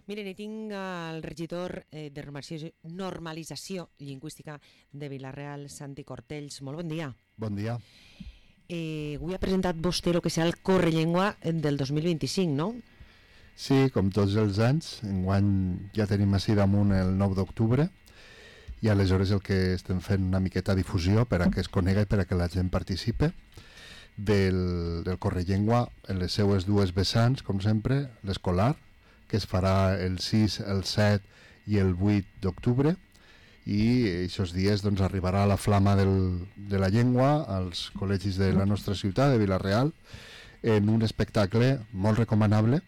Miren, tinc el regidor de normalització lingüística de Vila-real, Santi Cortells. Molt bon dia. Bon dia. Avui ha presentat vostè el que serà el Correllengua del 2025, no? Sí, com tots els anys, enguany ja tenim així damunt el 9 d'octubre i aleshores el que estem fent una miqueta difusió per a que es conega i per a que la gent participe del Correllengua en les seues dues vessants, com sempre, l'escolar, que es farà el 6, el 7 i el 8 d'octubre, i aquests dies doncs, arribarà la flama de la llengua als col·legis de la nostra ciutat, de Vila-real, en un espectacle molt recomanable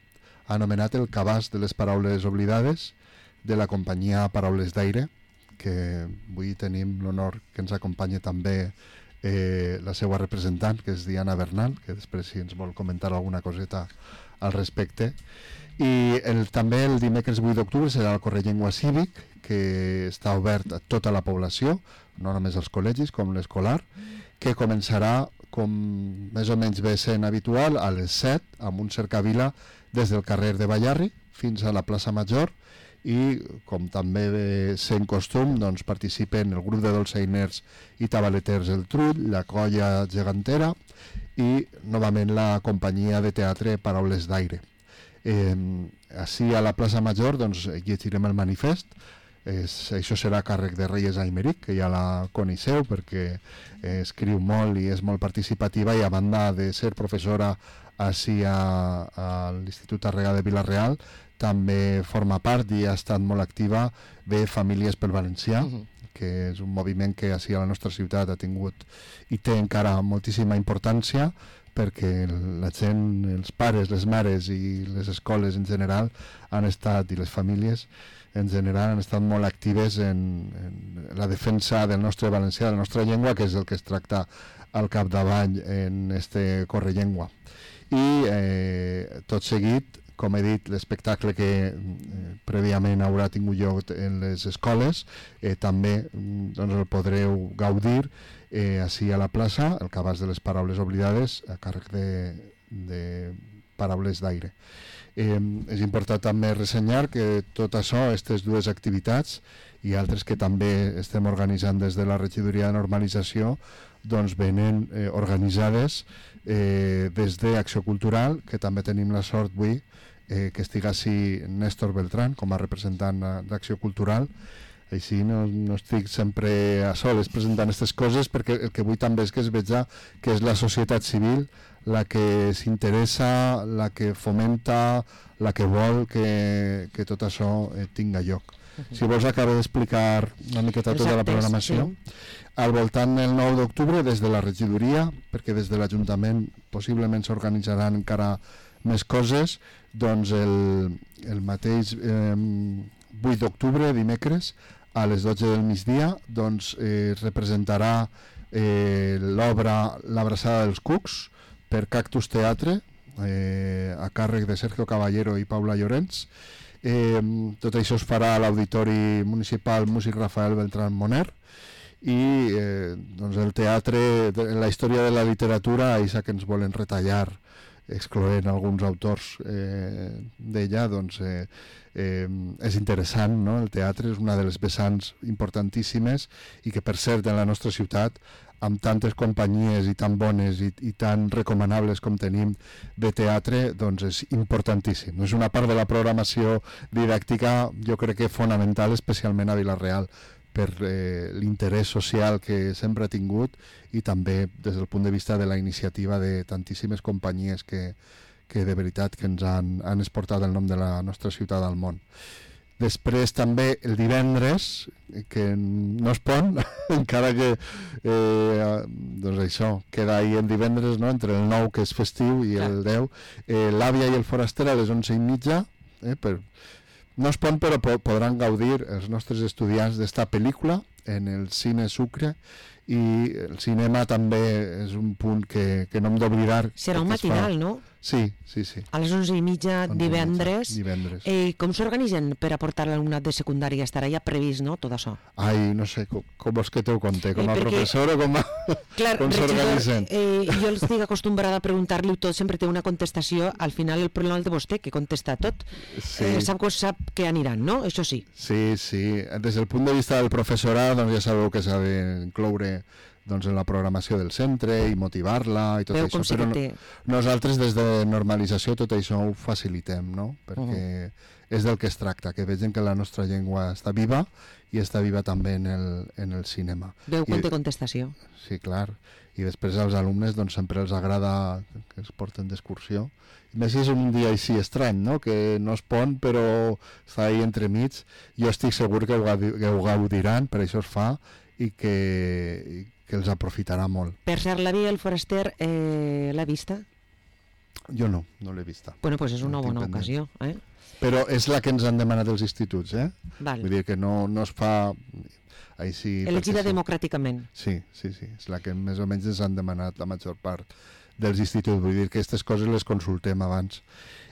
anomenat El cabàs de les paraules oblidades, de la companyia Paraules d'Aire, que avui tenim l'honor que ens acompanya també la seva representant, que és Diana Bernal, que després si ens vol comentar alguna coseta al respecte. I també el dimecres 8 d'octubre serà el Correllengua Cívic, que està obert a tota la població, no només als col·legis com l'escolar, que començarà, com més o menys ve sent habitual, a les 7, amb un cercavila des del carrer de Ballarri fins a la plaça Major, i com també ve sent costum, doncs participen el grup de dolçainers i tabaleters El Trull, la colla gegantera i novament la companyia de teatre Paraules d'Aire. Així a la plaça Major doncs, llegirem el manifest. Això serà a càrrec de Reyes Aymeric, que ja la coneixeu perquè escriu molt i és molt participativa, i a banda de ser professora així a l'Institut Tàrrega de Vila-real, també forma part i ha estat molt activa de Famílies pel Valencià, que és un moviment que així a la nostra ciutat ha tingut i té encara moltíssima importància, perquè la gent, els pares, les mares i les escoles en general han estat, i les famílies en general, han estat molt actives en la defensa del nostre valencià, de la nostra llengua, que és el que es tracta al capdavall en este Correllengua. I tot seguit, com he dit, l'espectacle que prèviament haurà tingut lloc en les escoles, també doncs, el podreu gaudir així a la plaça, el cabàs de les paraules oblidades, a càrrec de Paraules d'Aire. És important també ressenyar que tot això, aquestes dues activitats i altres que també estem organitzant des de la regidoria de normalització, doncs venen organitzades des d'Acció Cultural, que també tenim la sort avui que estiga així Néstor Beltrán com a representant d'Acció Cultural. Així no estic sempre a soles presentant aquestes coses, perquè el que vull també és que es veja que és la societat civil la que s'interessa, la que fomenta, la que vol que tot això tinga lloc. Si vols acabo d'explicar una miqueta tota la programació. Al voltant del 9 d'octubre, des de la regidoria, perquè des de l'Ajuntament possiblement s'organitzaran encara més coses, doncs el mateix 8 d'octubre, dimecres, a les 12 del migdia, doncs es representarà l'obra L'Abraçada dels Cucs per Cactus Teatre, a càrrec de Sergio Caballero i Paula Llorens. Tot això es farà a l'Auditori Municipal Músic Rafael Beltrán Moner, i doncs el teatre, la història de la literatura, això que ens volen retallar excloent alguns autors d'ella, doncs és interessant, no? El teatre és una de les vessants importantíssimes i que, per cert, en la nostra ciutat, amb tantes companyies i tan bones i tan recomanables com tenim de teatre, doncs és importantíssim. És una part de la programació didàctica, jo crec que fonamental, especialment a Vila-real, per l'interès social que sempre ha tingut, i també des del punt de vista de la iniciativa de tantíssimes companyies que de veritat que ens han exportat el nom de la nostra ciutat al món. Després també el divendres, que no es pon, encara que doncs això, queda ahir el divendres, no? Entre el 9, que és festiu, i el 10, l'Àvia i el Foraster a les 11:30, no es pon, però podran gaudir els nostres estudiants d'esta pel·lícula en el Cine Sucre, i el cinema també és un punt que no hem d'oblidar. Serà un matinal, no? Sí. A les 11:30 divendres. I com s'organitzen per aportar l'alumnat de secundària? Estarà ja previst, no?, tot això. Ai, no sé, com vols que t'ho conté? Com a professor o com s'organitzen? Jo estic acostumbrada a preguntar-li tot, sempre té una contestació, al final el problema el de vostè, que contesta tot. Sap que aniran, no? Això sí. Sí. Des del punt de vista del professorat, doncs ja sabeu que s'ha d'incloure en la programació del centre i motivar-la i tot això, però nosaltres des de normalització tot això ho facilitem, no? Perquè és del que es tracta, que vegin que la nostra llengua està viva i està viva també en el cinema. Veu quan té contestació. Sí, clar. I després als alumnes doncs sempre els agrada que es porten d'excursió. I més si és un dia així estrany, no? Que no es pon però està ahí entremig. Jo estic segur que ho gaudiran, per això es fa, i que els aprofitarà molt. Per cert, la Via del Foraster l'ha vista? Jo no l'he vista. Bueno, doncs és una bona ocasió, eh? Però és la que ens han demanat els instituts, eh? Val. Vull dir que no es fa així... Elegida democràticament. Sí, és la que més o menys ens han demanat la major part dels instituts. Vull dir que aquestes coses les consultem abans.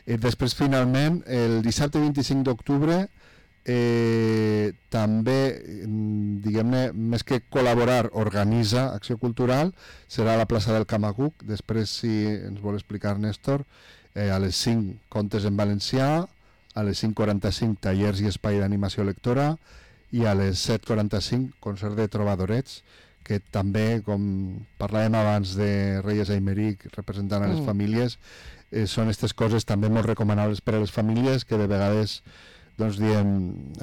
Després, finalment, el dissabte 25 d'octubre també, diguem-ne, més que col·laborar, organitza Acció Cultural, serà a la plaça del Camacuc. Després, si ens vol explicar Néstor, a les 5 contes en valencià, a les 5:45 tallers i espai d'animació lectora i a les 7:45 concert de trobadorets, que també, com parlàvem abans de Reyes Aymeric representant a les famílies, són aquestes coses també molt recomanables per a les famílies, que de vegades doncs diem,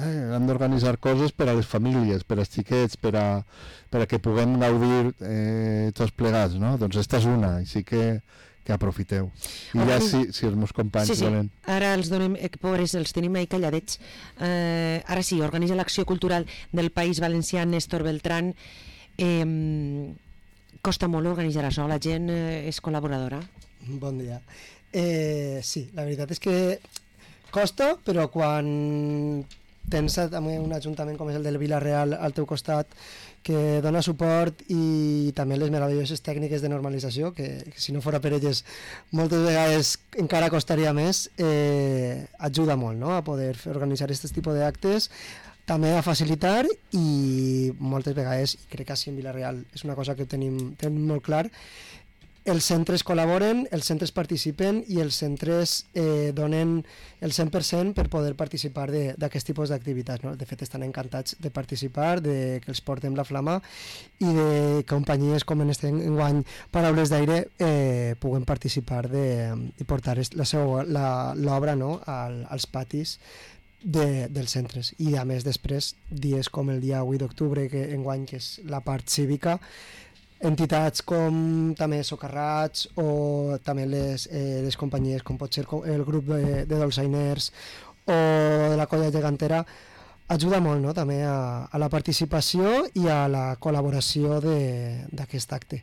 hem d'organitzar coses per a les famílies, per als xiquets, per a que puguem gaudir tots plegats, no? Doncs esta és una, així que aprofiteu. I ja si els meus companys volen... Ara els donem, pobres, els tenim ahí calladets. Ara sí, organitza l'Acció Cultural del País Valencià, Néstor Beltrán. Costa molt organitzar això, la gent és col·laboradora? Bon dia. Sí, la veritat és que costa, però quan tens un ajuntament com és el del Vila-real al teu costat, que dona suport, i també les meravelloses tècniques de normalització, que si no fora per elles moltes vegades encara costaria més, ajuda molt, no?, a poder organitzar aquest tipus d'actes, també a facilitar, i moltes vegades, i crec que així en Vila-real és una cosa que tenim molt clar, els centres col·laboren, els centres participen i els centres donen el 100% per poder participar d'aquest tipus d'activitats, no? De fet, estan encantats de participar, de que els portem la flama i de companyies com en este enguany Paraules d'Aire puguen participar i portar l'obra, no?, als patis dels centres. I a més després, dies com el dia 8 d'octubre, que enguany que és la part cívica, entitats com també Socarrats o també les companyies com pot ser el grup de dolçainers o de la colla gegantera ajuda molt, no?, també a la participació i a la col·laboració d'aquest acte.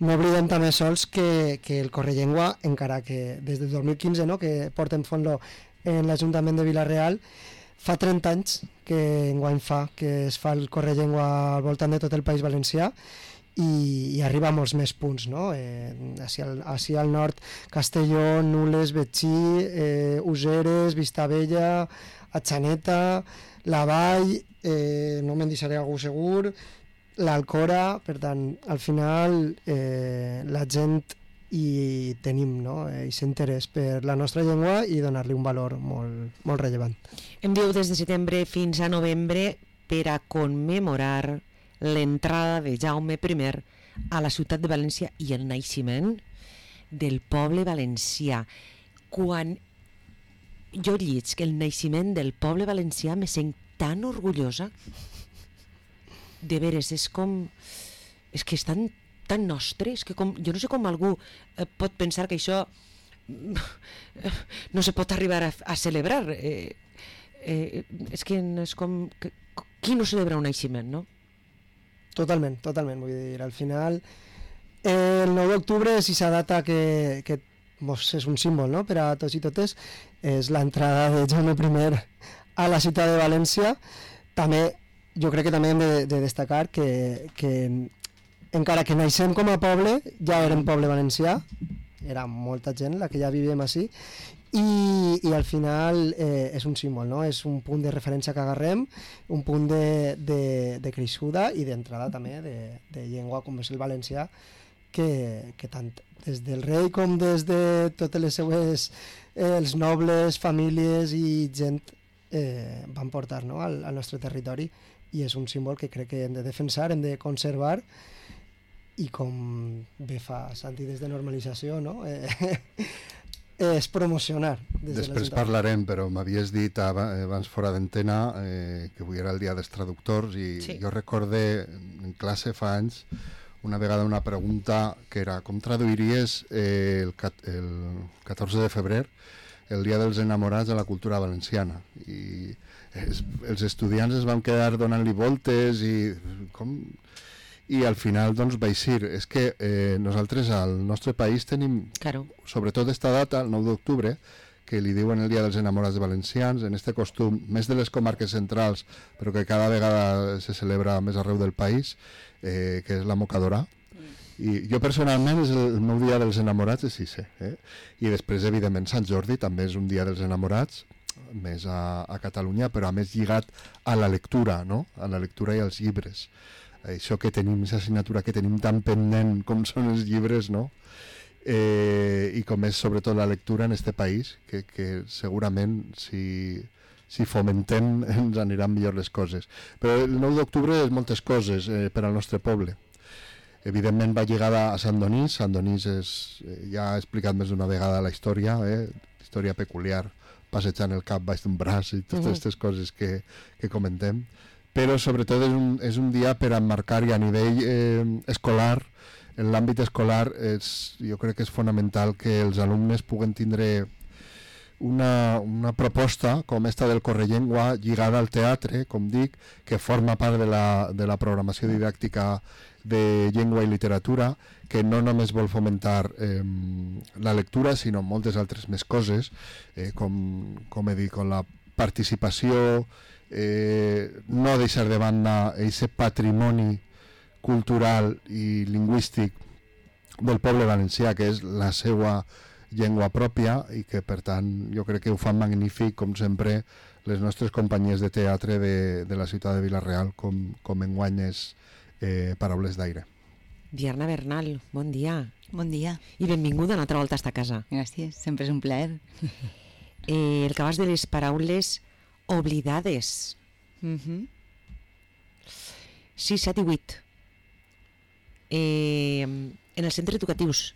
No oblidem també sols que el Correllengua, encara que des del 2015, no?, que portem fent-lo en l'Ajuntament de Vila-real, fa 30 anys que enguany que es fa el Correllengua al voltant de tot el País Valencià, i arriba a molts més punts, no? Així al nord, Castelló, Nules, Betxí, Useres, Vistabella, Atxaneta, La Vall, no me'n deixaré algú segur, l'Alcora. Per tant, al final la gent hi tenim, no?, aquest interès per la nostra llengua i donar-li un valor molt, molt rellevant. Em diu des de setembre fins a novembre per a commemorar l'entrada de Jaume I a la ciutat de València i el naixement del poble valencià. Quan jo llig el naixement del poble valencià me sent tan orgullosa. De veres, és que és tan nostre, és que jo no sé com algú pot pensar que això no se pot arribar a celebrar. És que és com... Qui no celebra un naixement, no? Totalment, vull dir, al final el 9 d'octubre és aquesta data que és un símbol, no?, per a tots i totes, és l'entrada de Jaume I a la ciutat de València. També jo crec que també hem de destacar que encara que naixem com a poble, ja érem poble valencià, era molta gent la que ja vivíem així, i al final és un símbol, no? És un punt de referència que agarrem, un punt de creixuda i d'entrada també de llengua com és el valencià, que tant des del rei com des de totes les seues els nobles, famílies i gent van portar, no? al nostre territori, i és un símbol que crec que hem de defensar, hem de conservar, i com bé fa Santi des de normalització, no? És promocionar. Després parlarem, però m'havies dit abans fora d'antena que avui era el dia dels traductors i sí. Jo recordé en classe fa anys una vegada una pregunta que era com traduiries el 14 de febrer el dia dels enamorats a la cultura valenciana, i els estudiants es van quedar donant-li voltes i al final doncs vaig dir, és que nosaltres al nostre país tenim, claro, sobretot esta data, el 9 d'octubre, que li diuen el Dia dels Enamorats Valencians, en este costum, més de les comarques centrals, però que cada vegada se celebra més arreu del país, que és la mocadora. I jo personalment és el meu Dia dels Enamorats, és Ise. I després, evidentment, Sant Jordi també és un Dia dels Enamorats, més a Catalunya, però a més lligat a la lectura, no? A la lectura i als llibres. Això que tenim, aquesta assignatura que tenim tan pendent com són els llibres, no? I com és sobretot la lectura en este país, que segurament si fomentem ens aniran millor les coses. Però el 9 d'octubre és moltes coses per al nostre poble. Evidentment va lligada a Sant Donís. Sant Donís ja ha explicat més d'una vegada la història, història peculiar, passejant el cap baix d'un braç i totes aquestes coses que comentem. Però sobretot és un dia per emmarcar, i a nivell escolar, en l'àmbit escolar jo crec que és fonamental que els alumnes puguen tindre una proposta com esta del Correllengua lligada al teatre, com dic, que forma part de la programació didàctica de llengua i literatura, que no només vol fomentar la lectura, sinó moltes altres més coses, com he dit, com la participació, no deixar de banda aquest patrimoni cultural i lingüístic del poble valencià, que és la seva llengua pròpia, i que per tant jo crec que ho fan magnífic, com sempre, les nostres companyies de teatre de la ciutat de Vila-real, com enguany és Paraules d'aire. Diana Bernal, bon dia. Bon dia. I benvinguda una altra volta a esta casa. Gràcies, sempre és un plaer. El cabàs de les paraules oblidades. 6, 7 i 8. En els centres educatius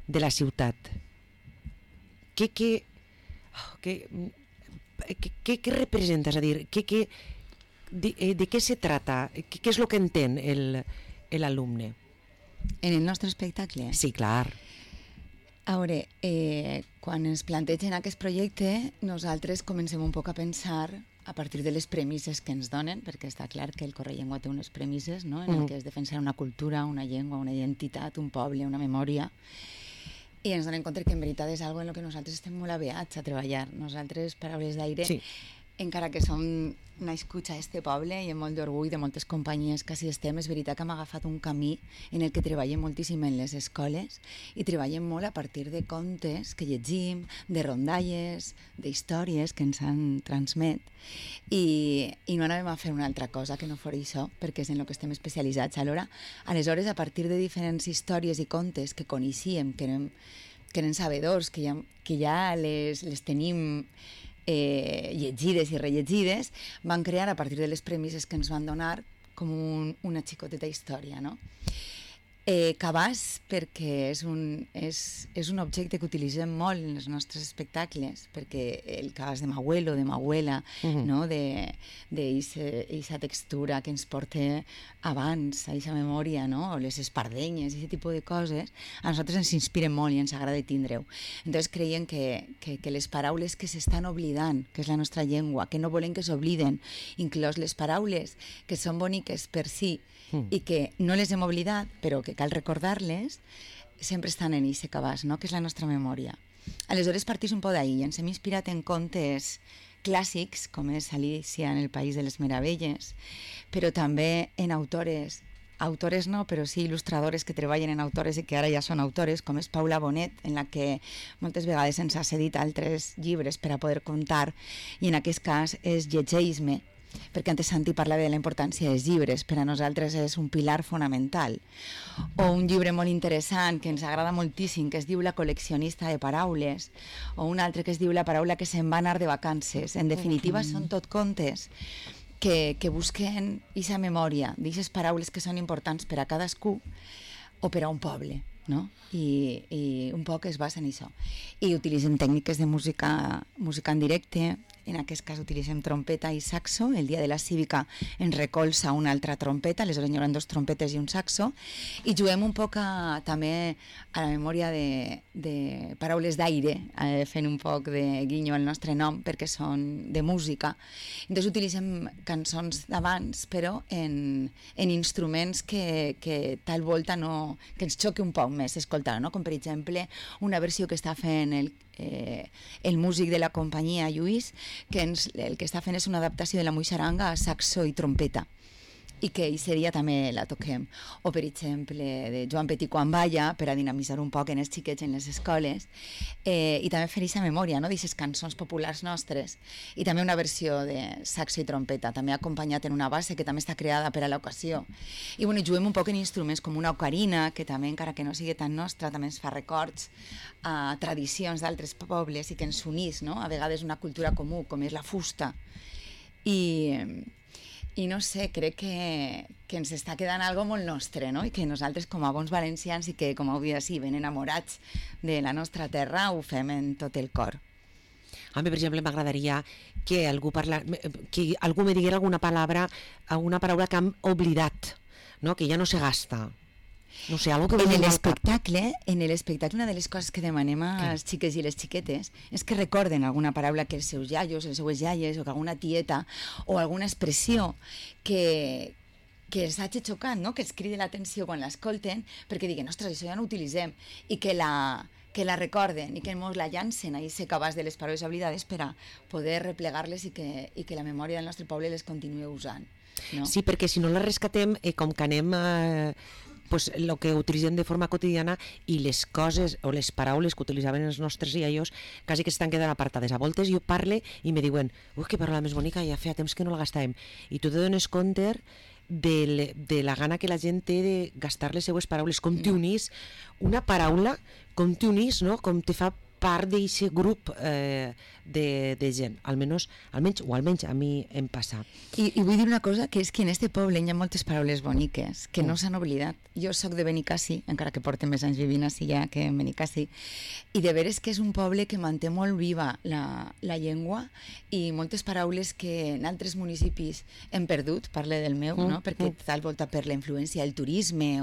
de la ciutat. Què representa? És a dir, de què se trata? Què és el que entén l'alumne? En el nostre espectacle? Sí, clar. A veure, quan ens plantegen aquest projecte, nosaltres comencem un poc a pensar a partir de les premisses que ens donen, perquè està clar que el Correllengua té unes premisses, no? En el que és defensar una cultura, una llengua, una identitat, un poble, una memòria, i ens donem compte que en veritat és algo en el que nosaltres estem molt aviats a treballar. Nosaltres, Paraules d'aire, sí, encara que som nascuts a este poble i amb molt d'orgull de moltes companyies que així estem, és veritat que hem agafat un camí en el que treballem moltíssim en les escoles i treballem molt a partir de contes que llegim, de rondalles, d'històries que ens han transmet, i no anàvem a fer una altra cosa que no fos això, perquè és en el que estem especialitzats. Aleshores, a partir de diferents històries i contes que coneixíem, que eren sabedors, que ja les tenim llegides i rellegides, van crear a partir de les premisses que ens van donar com una xicoteta història, no? Cabàs, perquè és un objecte que utilitzem molt en els nostres espectacles, perquè el cabàs de m'abuelo, de m'abuela, no? D'eixa textura que ens porta abans, a eixa memòria, no? O les espardenyes, aquest tipus de coses, a nosaltres ens inspiren molt i ens agrada tindre-ho. Entonces creiem que les paraules que s'estan oblidant, que és la nostra llengua, que no volem que s'obliden, inclòs les paraules que són boniques per si i que no les hem oblidat, però que cal recordar-les, sempre estan en aquest cabàs, no? Que és la nostra memòria. Aleshores partís un poc d'ahir, ens hem inspirat en contes clàssics, com és Alicia en el País de les Meravelles, però també en autores no, però sí il·lustradores que treballen en autores i que ara ja són autores, com és Paula Bonet, en la que moltes vegades ens ha cedit altres llibres per a poder contar, i en aquest cas és Llegeix-me, perquè antes Santi parlava de la importància dels llibres, per a nosaltres és un pilar fonamental. O un llibre molt interessant que ens agrada moltíssim, que es diu La col·leccionista de paraules, o un altre que es diu La paraula que se'n va anar de vacances. En definitiva, són tot contes que busquen aquesta memòria, d'aquestes paraules que són importants per a cadascú o per a un poble, no? I un poc es basa en això. I utilitzem tècniques de música en directe. En aquest cas utilitzem trompeta i saxo. El dia de la cívica ens recolza una altra trompeta, aleshores hi haurà 2 trompetes i un saxo, i juguem un poc també a la memòria de paraules d'aire, fent un poc de guinyo al nostre nom, perquè són de música. Entonces utilitzem cançons d'abans, però en instruments que tal volta no, que ens xoqui un poc més escoltar, no? Com per exemple una versió que està fent el músic de la companyia Lluís, que el que està fent és una adaptació de la Muixaranga a saxo i trompeta, i que aquest dia també la toquem. O, per exemple, de Joan Petit quan balla, per a dinamitzar un poc en els xiquets en les escoles, i també fer aquesta memòria, no?, d'aquestes cançons populars nostres, i també una versió de saxo i trompeta, també acompanyat en una base que també està creada per a l'ocasió. I bueno, juguem un poc en instruments com una ocarina, que també, encara que no sigui tan nostra, també ens fa records a tradicions d'altres pobles i que ens unís, no?, a vegades una cultura comú, com és la fusta. I no sé, crec que ens està quedant algo molt nostre, no? I que nosaltres, com a bons valencians i que, com heu dit així, ben enamorats de la nostra terra, ho fem en tot el cor. A mi, per exemple, m'agradaria que algú me diguera alguna paraula que hem oblidat, no? Que ja no se gasta. No sé, algo que en l'espectacle, una de les coses que demanem als xiques i les xiquetes és que recorden alguna paraula que els seus iaios, les seues iaies, o que alguna tieta, o alguna expressió que els hagi xocat, no? Que els cridi l'atenció quan l'escolten, perquè diguen, ostres, això ja no ho utilitzem, i que la recorden i que ens la llancen a ser cabàs de les paraules oblidades per a poder replegar-les i que la memòria del nostre poble les continuï usant, no? Sí, perquè si no les rescatem, com que anem pues, el que utilitzem de forma quotidiana i les coses o les paraules que utilitzaven els nostres iaios quasi que estan quedant apartades. A voltes jo parle i me diuen, ui, que paraula més bonica, ja feia temps que no la gastàvem. I tu te dones compte de la gana que la gent té de gastar les seues paraules, com t'unís una paraula, com t'unís, no? Com te fa part d'aquest grup de gent, almenys a mi em passa. I vull dir una cosa, que és que en este poble hi ha moltes paraules boniques que no s'han oblidat. Jo soc de Benicassi, encara que porto més anys vivint així ja que en Benicassi, i de veres que és un poble que manté molt viva la llengua i moltes paraules que en altres municipis hem perdut, parle del meu, no? Perquè tal volta per la influència del turisme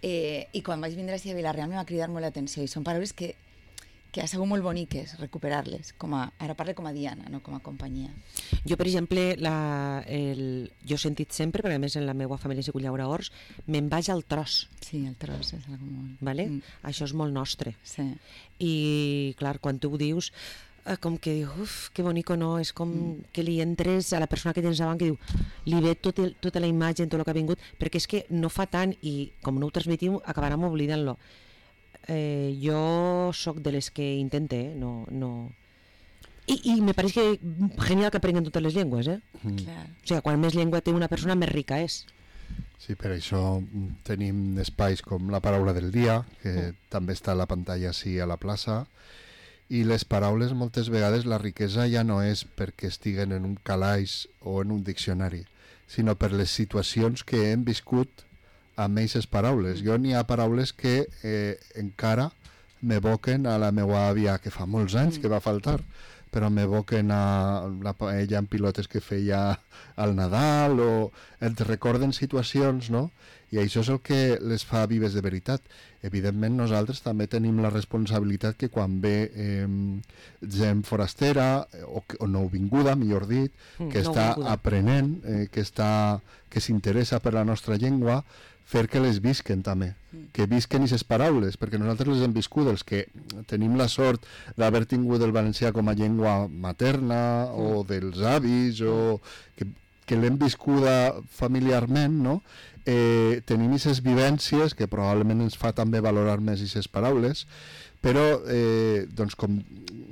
i quan vaig vindre a Vila-real me va cridar molt l'atenció i són paraules que ha sigut molt boniques recuperar-les, ara parlo com a Diana, no com a companyia. Jo, per exemple, jo he sentit sempre, perquè a més en la meva família s'hi llaura horts, me'n vaig al tros. Sí, el tros és algo molt... Vale? Això és molt nostre. Sí. I, clar, quan tu ho dius, com que dius, uf, que bonico, no? És com que li entres a la persona que tens davant, que diu, li ve tota la imatge, tot el que ha vingut, perquè és que no fa tant, i com no ho transmetim, acabarem oblidant-lo. Jo sóc de les que intente, no... I me pareix que genial que aprenguin totes les llengües, Clar. O sigui, quan més llengua té una persona, més rica és. Sí, per això tenim espais com la paraula del dia, que també està a la pantalla així a la plaça, i les paraules moltes vegades la riquesa ja no és perquè estiguen en un calaix o en un diccionari, sinó per les situacions que hem viscut amb aquestes paraules. Jo n'hi ha paraules que encara m'evoquen a la meva àvia, que fa molts anys que va faltar, però m'evoquen a la paella amb pilotes que feia al Nadal, o et recorden situacions, no? I això és el que les fa vives de veritat. Evidentment nosaltres també tenim la responsabilitat que quan ve gent forastera o nouvinguda, millor dit, que està aprenent, que s'interessa per la nostra llengua, fer que les visquen també, que visquen aquestes paraules, perquè nosaltres les hem viscut, els que tenim la sort d'haver tingut el valencià com a llengua materna o dels avis o que l'hem viscuda familiarment, no? Tenim aquestes vivències que probablement ens fa també valorar més aquestes paraules, però doncs com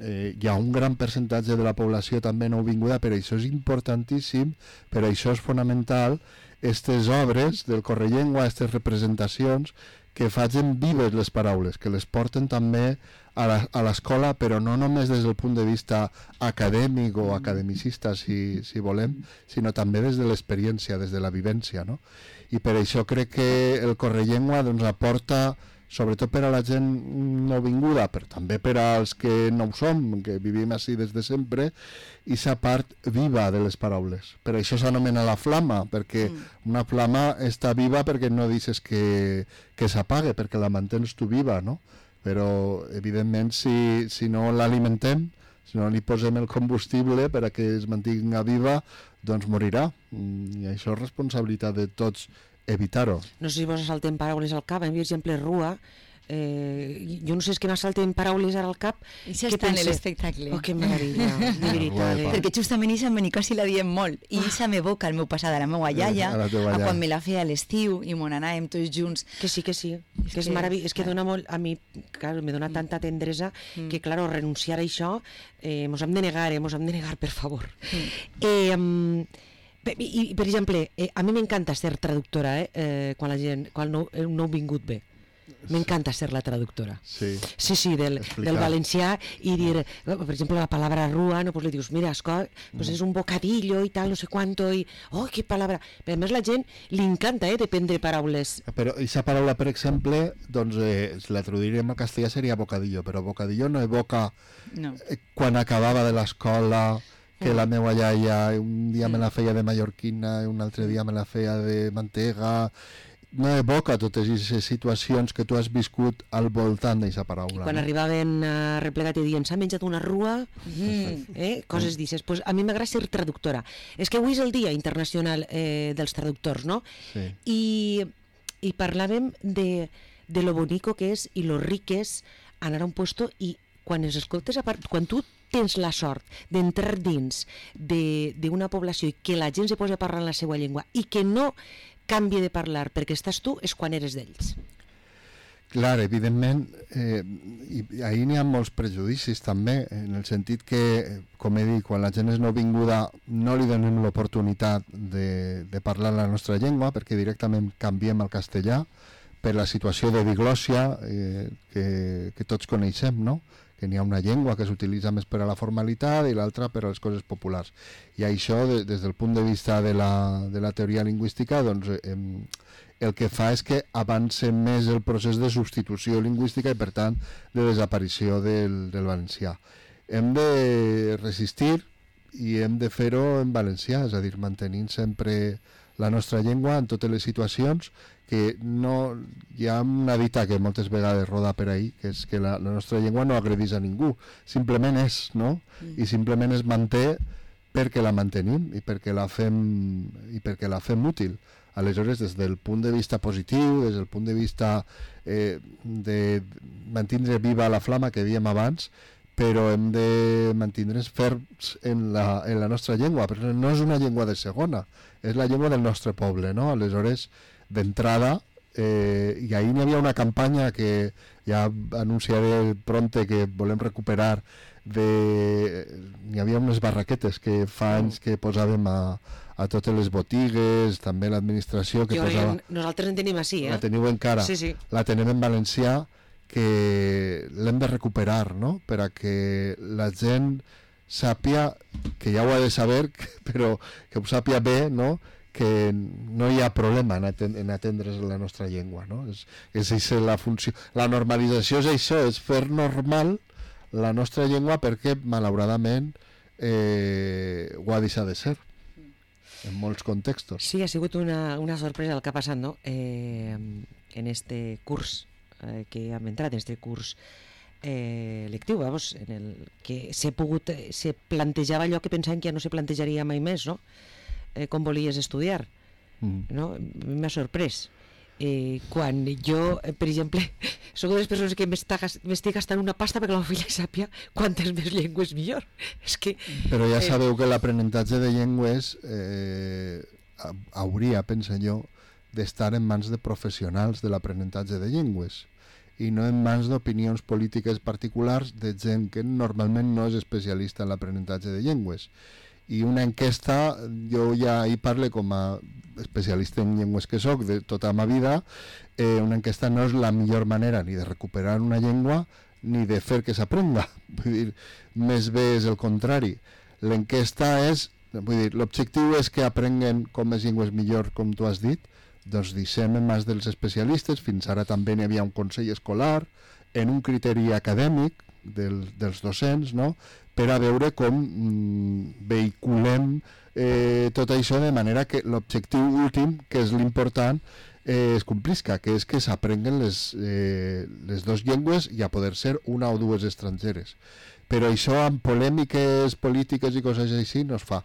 hi ha un gran percentatge de la població també nouvinguda, per això és importantíssim, per això és fonamental aquestes obres del Correllengua, aquestes representacions que facin vives les paraules, que les porten també a l'escola, però no només des del punt de vista acadèmic o academicista, si volem, sinó també des de l'experiència, des de la vivència, no? I per això crec que el Correllengua doncs, aporta, sobretot per a la gent nouvinguda, però també per als que no ho som, que vivim així des de sempre, i sa part viva de les paraules. Per això s'anomena la flama, perquè una flama està viva perquè no deixes que s'apague, perquè la mantens tu viva, no? Però, evidentment, si no l'alimentem, si no li posem el combustible per a que es mantinga viva, doncs morirà. I això és responsabilitat de tots evitar-ho. No sé si vos salten paraules al cap, per exemple, rua, jo no sé, és que m'assalten paraules ara al cap. Això està en l'espectacle. Oh, que meravella, de veritat. Perquè justament això en quasi la diem molt. I això m'evoca el meu passat a la meva iaia, a quan me la feia a l'estiu i mon anàvem tots junts. Que sí, que és meravellós. És que dona molt, a mi, clar, me dona tanta tendresa que, clar, renunciar a això, mos hem de negar, per favor. I, per exemple, a mi m'encanta ser traductora, quan un nouvingut ve. M'encanta ser la traductora. Sí, del valencià i dir, per exemple, la palabra rua, no, pues li dius, mira, pues és un bocadillo i tal, no sé quanto, i, oh, que palabra. Però a més la gent li encanta, de prendre paraules. Però aquesta paraula, per exemple, doncs, si la traduiríem al castellà seria bocadillo, però bocadillo no evoca quan acabava de l'escola, que la meva iaia un dia me la feia de mallorquina i un altre dia me la feia de mantega. No evoca totes aquestes situacions que tu has viscut al voltant d'aquesta paraula. Quan arribaven replegat i dient s'ha menjat una rua, coses d'aixes. Pues a mi m'agrada ser traductora. És que avui és el Dia Internacional dels Traductors, no? Sí. I parlàvem de lo bonico que és i lo ric és anar a un puesto i quan els escoltes, quan tu tens la sort d'entrar dins d'una població i que la gent se posa a parlar en la seva llengua i que no canvi de parlar perquè estàs tu, és quan eres d'ells. Clar, evidentment, i ahir n'hi ha molts prejudicis també, en el sentit que, com he dit, quan la gent és nouvinguda no li donem l'oportunitat de parlar la nostra llengua perquè directament canviem al castellà per la situació de diglòssia que tots coneixem, no? Que n'hi ha una llengua que s'utilitza més per a la formalitat i l'altra per a les coses populars. I això, des del punt de vista de la teoria lingüística, doncs, el que fa és que avança més el procés de substitució lingüística i, per tant, de desaparició del valencià. Hem de resistir i hem de fer-ho en valencià, és a dir, mantenint sempre la nostra llengua en totes les situacions, que no, hi ha una dita que moltes vegades roda per ahí, que és que la nostra llengua no agredeix a ningú, simplement és, no? I simplement es manté perquè la mantenim i perquè la fem útil. Aleshores, des del punt de vista positiu, des del punt de vista de mantindre viva la flama que dèiem abans, però hem de mantindre'ns ferms en la nostra llengua, perquè no és una llengua de segona, és la llengua del nostre poble, no? Aleshores, d'entrada, i ahir n'hi havia una campanya que ja anunciaré pronte que volem recuperar, n'hi havia unes barraquetes que fa anys que posàvem a totes les botigues, també l'administració que posava... Nosaltres en tenim així, La teniu encara, sí. La tenim en valencià, que l'hem de recuperar, no? Per a que la gent sàpia, que ja ho ha de saber, però que ho sàpia bé, no? Que no hi ha problema en atendre's la nostra llengua, no? És la funció. La normalització és això, és fer normal la nostra llengua perquè, malauradament, ho ha deixat de ser en molts contextos. Sí, ha sigut una sorpresa el que ha passat, no? En este curs que hem entrat, en este curs lectiu, vamos, en el que se plantejava allò que pensàvem que ja no se plantejaria mai més, no? Com volies estudiar, no? M'ha sorprès. quan jo, per exemple, soc de les persones que m'estic gastant una pasta perquè la meva filla sàpia quantes més llengües millor. És que, però ja sabeu que l'aprenentatge de llengües hauria, penso jo, d'estar en mans de professionals de l'aprenentatge de llengües i no en mans d'opinions polítiques particulars de gent que normalment no és especialista en l'aprenentatge de llengües. I una enquesta, jo ja hi parlo com a especialista en llengües que soc de tota la meva vida, una enquesta no és la millor manera ni de recuperar una llengua ni de fer que s'aprenda. Vull dir, més bé és el contrari. L'enquesta és, vull dir, l'objectiu és que aprenguen com més llengües millor, com tu has dit, doncs deixem en mans dels especialistes. Fins ara també n'hi havia un consell escolar en un criteri acadèmic dels docents, no?, per a veure com vehiculem tot això de manera que l'objectiu últim, que és l'important, es complisca, que és que s'aprenguen les dues llengües i a poder ser una o dues estrangeres. Però això amb polèmiques polítiques i coses així no es fa.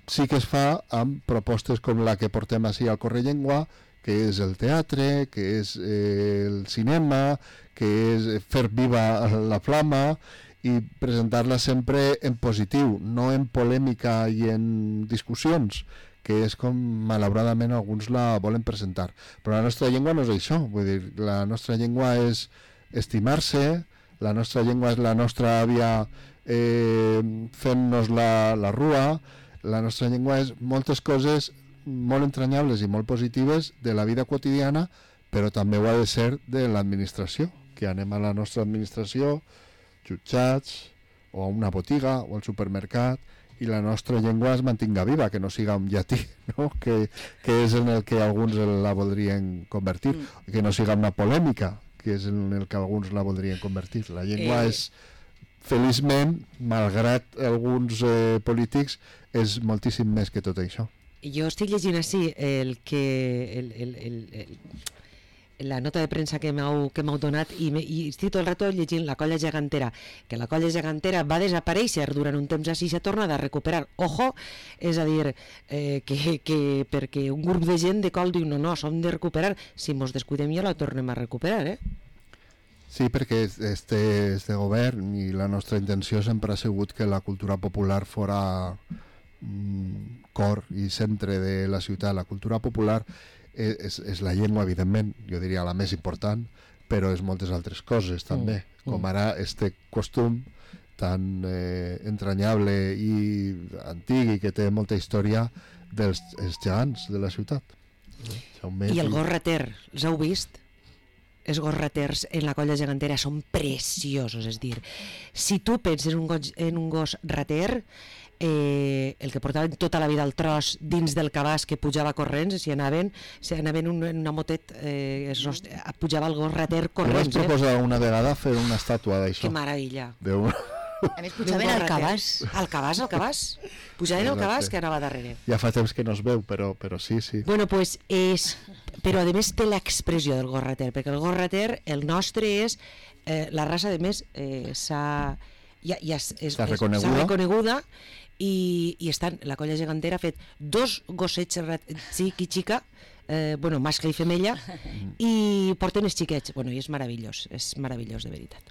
Sí que es fa amb propostes com la que portem així al Correllengua, que és el teatre, que és el cinema, que és fer viva la flama i presentar-la sempre en positiu, no en polèmica i en discussions, que és com malauradament alguns la volen presentar. Però la nostra llengua no és això, vull dir, la nostra llengua és estimar-se, la nostra llengua és la nostra àvia fent-nos la rua, la nostra llengua és moltes coses molt entranyables i molt positives de la vida quotidiana, però també ho ha de ser de l'administració, que anem a la nostra administració, jutjats, o a una botiga, o al supermercat, i la nostra llengua es mantinga viva, que no siga un llatí, no? que és en el que alguns la voldrien convertir, que no siga una polèmica, que és en el que alguns la voldrien convertir. La llengua és, feliçment, malgrat alguns polítics, és moltíssim més que tot això. Jo estic llegint així la nota de premsa que m'heu donat i estic tot el rato llegint La colla gegantera, que la colla gegantera va desaparèixer durant un temps així i s'ha tornat a recuperar. Ojo, és a dir, que perquè un grup de gent de col diu no, s'hem de recuperar, si mos descuidem ja la tornem a recuperar, Sí, perquè este govern i la nostra intenció sempre ha sigut que la cultura popular fora cor i centre de la ciutat. La cultura popular és la llengua, evidentment, jo diria la més important, però és moltes altres coses també, com ara este costum tan entranyable i antic i que té molta història dels gegants de la ciutat. I el gos rater, els heu vist? Els gos raters en la colla gegantera són preciosos, és dir, si tu penses en un gos rater, el que portaven tota la vida al tros dins del cabàs que pujava corrents, si anaven en una motet, pujava el gos rater corrents. Vaig proposar una vegada fer una estàtua d'això. Que meravella. A més, pujaven al cabàs. Al cabàs? Pujaven al cabàs que anava darrere. Ja fa temps que no es veu, però sí. Bueno, pues però a més té l'expressió del gos rater, perquè el gos rater, el nostre és, la raça a més s'ha reconeguda i la colla gegantera ha fet 2 gossets xica, mascle i femella, i porten els xiquets. I és meravellós de veritat.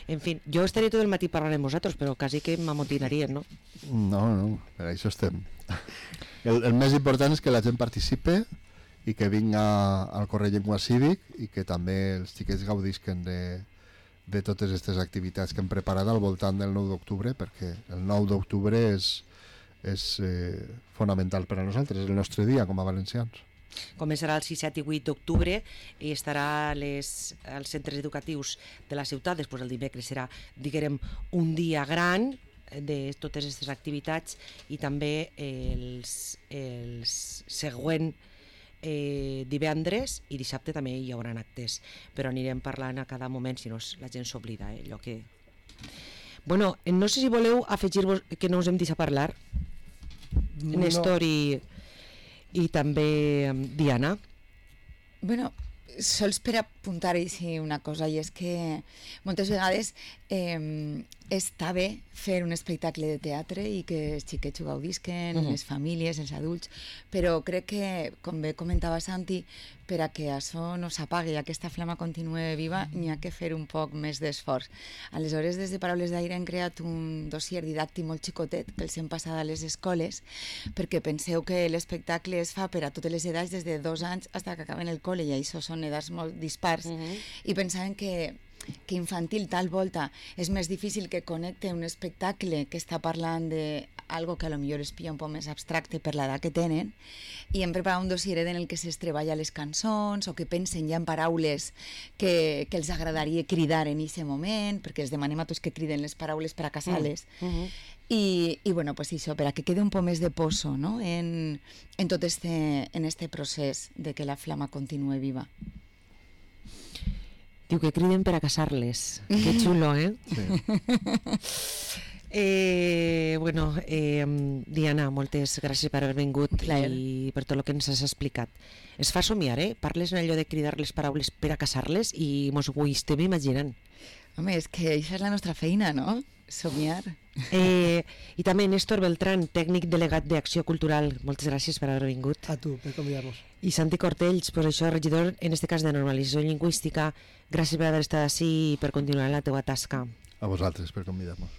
En fi, jo estaré tot el matí parlant amb vosaltres, però quasi que m'amotinarien, no? No, per això estem. El més important és que la gent participe i que vinga al Correllengua Cívic i que també els xiquets gaudisquen de totes aquestes activitats que hem preparat al voltant del 9 d'octubre, perquè el 9 d'octubre és fonamental per a nosaltres, és el nostre dia com a valencians. Començarà el 6, 7 i 8 d'octubre i estarà als centres educatius de la ciutat. Després el dimecres serà, diguem, un dia gran de totes aquestes activitats i també els següent divendres i dissabte també hi haurà actes, però anirem parlant a cada moment, si no la gent s'oblida allò que... Bueno, no sé si voleu afegir-vos que no us hem deixat parlar, Néstor i també Diana. Bueno, sols per apuntar-hi una cosa, i és que moltes vegades està bé fer un espectacle de teatre i que els xiquets ho gaudisquen, les famílies, els adults, però crec que, com bé comentava Santi, per a que això no s'apagui i aquesta flama continue viva, n'hi ha que fer un poc més d'esforç. Aleshores, des de Paraules d'Aire hem creat un dossier didàctic molt xicotet que els hem passat a les escoles, perquè penseu que l'espectacle es fa per a totes les edats, des de 2 anys fins que acaben el col·le, i això són edats molt dispars, i pensaven que infantil tal volta és més difícil que connecte un espectacle que està parlant d'algo que a lo millor es pilla un poc més abstracte per l'edat que tenen, i hem preparat un dossier en el que es treballa les cançons o que pensen ja en paraules que els agradaria cridar en aquest moment, perquè els demanem a tots que criden les paraules per a casar-les. I bueno, pues això, per a que quede un poc més de poso, no? en tot este procés de que la flama continue viva. Diu que criden per a casar-les. Que xulo, eh? Sí. Bueno, Diana, moltes gràcies per haver vingut i per tot el que ens has explicat. Es fa somiar, eh? Parles en allò de cridar les paraules per a casar-les i mos ho estem imaginant. Home, és que això és la nostra feina, no? Somiar. I també Néstor Beltrán, tècnic delegat d'Acció Cultural. Moltes gràcies per haver vingut. A tu, per convidar-nos. I Santi Cortells, pues això, regidor, en este cas de normalització lingüística. Gràcies per haver estat així i per continuar la teua tasca. A vosaltres per convidar-nos.